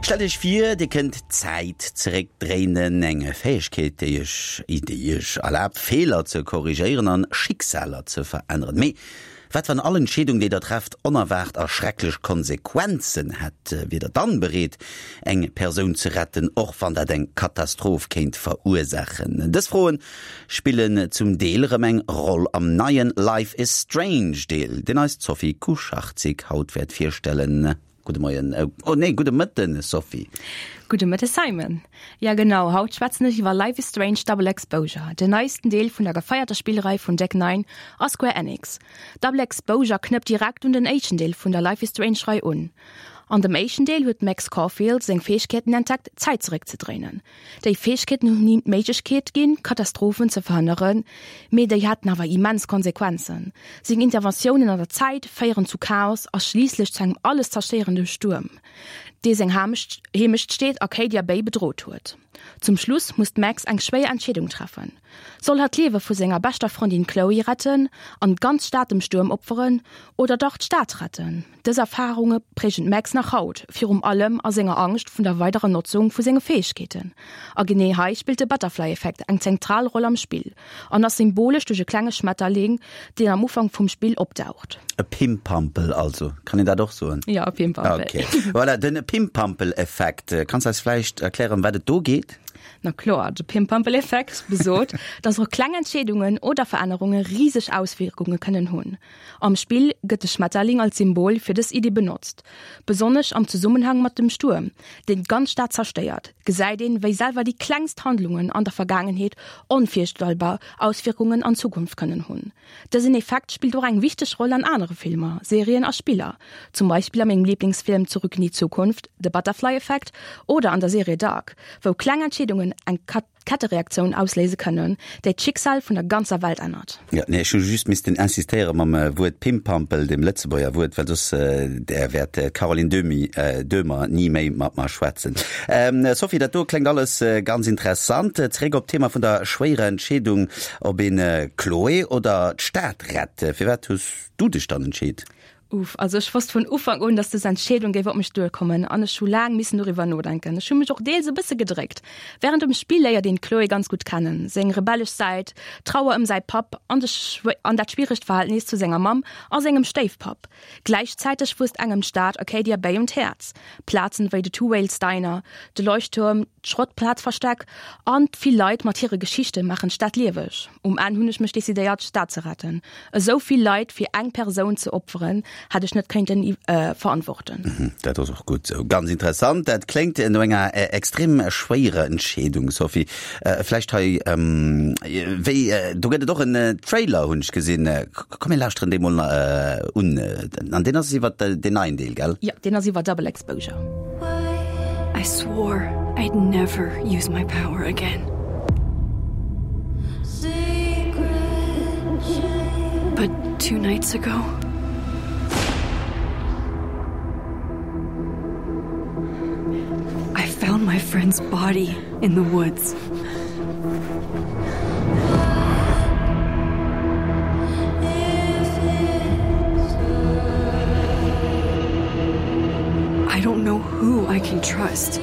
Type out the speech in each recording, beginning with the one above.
Stellt Iech vir, Dir kënnt d'Zäit zeréckdréinen, eng Fäegkeet, déi Iech déi Iech erlaabt, Feeler ze korrigéieren an Schicksaler ze veränneren. Mee wat, wann all Entscheedung, déi Der trefft, onerwaart a schrecklech Konsequenzen hätt? Wier Der dann bereet, eng Persoun ze retten, och wann dat eng Katastroph kéint verursaachen? Dës Froen spillen zum Deel erëm eng Roll am neien Life is Strange Deel, deen eis d'Sophie Kucharczyk haut wäert virstellen. Gudde Moien, oh nee, gudde Mëtten, Sophie. Gudde Mëtte Simon. Ja genau, haut schwätzen ech iwwer Life is Strange Double Exposure, den neisten Deel vun der gefeierter Spillrei vun Deck Nine a Square Enix. Double Exposure knëppt direkt un den éischten Deel vun der Life is Strange Rei un. An dem éischten Deel huet d'Max Caulfield seng Fäegkeeten entdeckt, d'Zäit zeréckzedréinen. Déi Fäegkeeten hunn him d'Méiglechkeet ginn, Katastrophen ze verhënneren, mee déi haten awer immens Konsequenzen. Seng Interventiounen an der Zäit féieren zu Chaos a schliisslech zu engem alles zerstéierende Stuerm, dee seng Heemechtsteet Arcadia Bay bedrot huet. Zum Schluss muss d'Max eng schwéier Entscheedung treffen, Soll hatt d'Liewe vu senger beschter Frëndin Chloe retten an d'ganz Stad dem Stuerm opferen, oder dach d'Stad retten? Dës Erfarunge prägen d'Max nach haut, virum allem a senger Angscht vun der weiderer Notzung vu senge Fäegkeeten. A genee hei spillt de Butterfly-Effekt eng zentral Roll am Spill an ass symbolesch duerch e klenge Schmetterling, deen am Ufank vum Spill opdaucht. E Pimpampel also, kann een dat och soen? Jo, e Pimpampel. Ok, voilà, den Pimpampel-Effekt. Kanns eis vläicht erklären, ëm wat et do geet? Na kloer, de Pimpampel-Effekt besot, dass och kleng Entscheedungen oder Verännerunge riseg Auswierkunge kënnen hunn. Am Spill gëtt de Schmetterling als Symbol fir dës Iddi benotzt. Besonnesch am Zesummenhang mat dem Stuerm, deen d'ganz Stad zerstéiert, gesäit een, wéi selwer déi klengst Handlungen an der Vergaangenheet onvirstellbar Auswierkungen an Zukunft kënnen hunn. Dësen Effekt spillt och eng wichteg Roll an anere Filmer, Serien a Spiller, zum Beispill a mengem Liblingsfilm Zurück in die Zukunft, The Butterfly Effect oder an der Serie Dark, wou kleng Entscheedungen eng. Kettereaktioun ausléise kënnen, déi d'Schicksal vun der ganzer Welt ännert. Jo, nee, ech hu just missten insistéiere mam Wuert Pimpampel, dem Lëtzebuerger Wuert, well soss där wäert d'Caroline Dömi, Döhmer ni méi mat mer schwätzen. Sophie, dat do kléngt alles ganz interessant. Zeréck op d'Thema vun der schwéierer Entscheedung, ob een d'Chloé oder d'Stad rett. Firwat hues du dech dann entscheet? Uff, also ech wosst vun Ufank un, dass des Entscheedung géif op mech duerkommen an ech hu laang missen doriwwer nodenken. Ech hu mech och deels e bësse gedréckt. Wärend dem Spill léiert een d'Chloé ganz gutt kennen, seng rebellesch Säit, d'Trauer ëm säi Papp an de an dat schwieregt Verhältnis zu senger Mamm a sengem Stéifpapp. Gläichzäiteg wuesst engem d'Stad Arcadia Bay un d'Häerz. Plazen wéi de Two Whales Diner, de Leuchttuerm, d'Schrottplazversteck an d'vill Leit mat hire Geschichte maachen d'Stad lieweg. Um Enn hunn ech mech decidéiert, d'Stad ze retten. Esou vill Leit fir eng Persoun ze opferen, hätt ech net kéinten verantworten. Dat ass och gutt esou. Ganz interessant. Dat kléngt no enger extrem schwéierer Entscheedung, Sophie. Vläicht hei, wéi, do gëtt et och en Trailer, hunn ech gesinn. Komm mir lauschteren dee mol un. An deen ass iwwer deen neien Deel, gell? Jo, deen ass iwwer Double Exposure. I swore I'd never use my power again. But two nights ago, I found my friend's body in the woods. I don't know who I can trust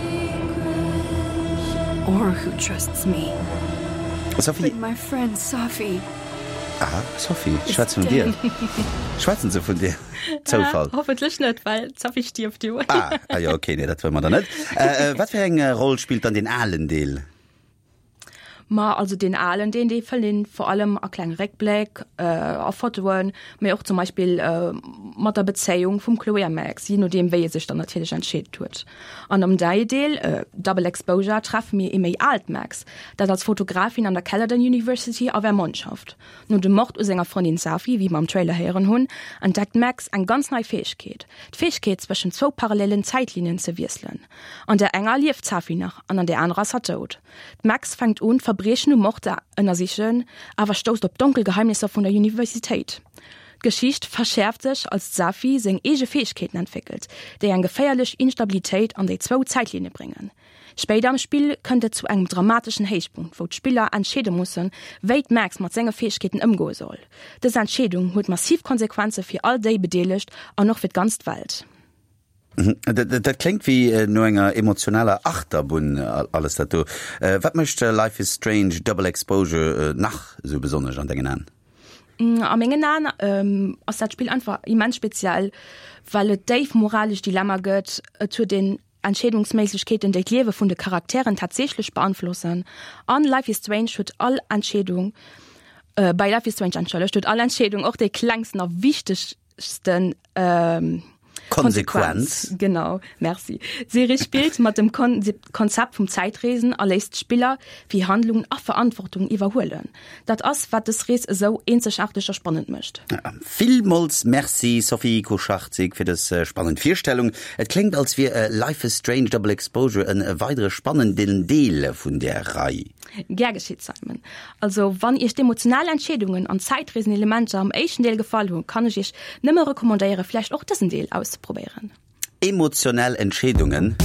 or who trusts me. Sophie. But my friend Sophie. Ah, Sophie, schwätzen vun dir. Schwätzen se vun dir? Zoufall. Ah, hoffentlech net, well d'Sophie stierft jo. Ah, ah jo, okay, nee, dat wëlle mer dann net. Äh, äh, wat fir eng äh, Roll spillt dann den alen Deel? Ma also den alen deen dee fënnt een vor allem a klenge Réckbléck, äh, a Fotoen, mee och zum Beispill äh, mat der Bezéiung vum Chloé a Max, je nodeem wéi e sech dann natierlech entscheet huet. An am neie Deel, äh, Double Exposure, treffe mir ee méi aalt Max, dat als Fotografin an der Caledon University a Vermont schafft. No dem Mord u senger Frëndin Safi, wéi mer am Trailer héieren hunn, entdeckt d'Max eng ganz nei Fäegkeet, d'Fäegkeet zwëschen zwou parallelen Zäitlinien ze wiesselen. An där enger lieft d'Safi nach an an där anerer ass hatt dout. D'Max fänkt un, d'Verbriechen um Mord ze ënnersichen, awer stousst op donkel Geheimnisser vun der Universitéit. D'Geschicht verschäerft sech, als d'Safi seng eege Fäegkeeten entwéckelt, déi eng geféierlech Instabilitéit an déi zwou Zäitlinne bréngen. Spéider am Spill kënnt et zu engem dramateschen Héichpunkt, wou d'Spiller entscheede mussen, wéi d'Max mat senge Fäegkeeten ëmgoe soll. Dës Entscheedung huet massiv Konsequenze fir all déi Bedeelegt an och fir d'ganzt Welt. Dat kléngt wéi no enger emotionaler Achterbunn, alles dat do. Wat mécht Life is Strange, Double Exposure nach esou besonnesch an dengen Aen? A mengen Aen ass dat Spill einfach immens speziell, well et déif moralesch Dilemma gëtt. Et huet een Entscheedungsméiglechkeeten, déi d'Liewe vun de Charakteren tatsächlech beanflossen. An Life is Strange huet all Entscheedung, bei Life is Strange, entschëllegt, huet all Entscheedung, och déi klengsten a wichtegsten, Konsequenz. Genau, merci. D'Serie spillt mat dem Konzept vum Zäitreesen a léisst d'Spiller fir Handlungen a Verantwortung iwwerhuelen. Dat ass, wat dës Rees esou eenzegaarteg a spannend mécht. Villmools Merci Sophie Kucharczyk fir dës spannend Virstellung. Et kléngt als wier Life is Strange, Double Exposure en weidere spannenden Deel vun där Rei. Gär geschitt, Simon. Also wann iech d'emotional Entscheedungen an d'Zäitreesen-Elementer am éischten Deel gefall hunn, kann ech iech nëmme recommandéieren, vläicht och dësen Deel auszeprobéieren. Emotionell Entscheedungen.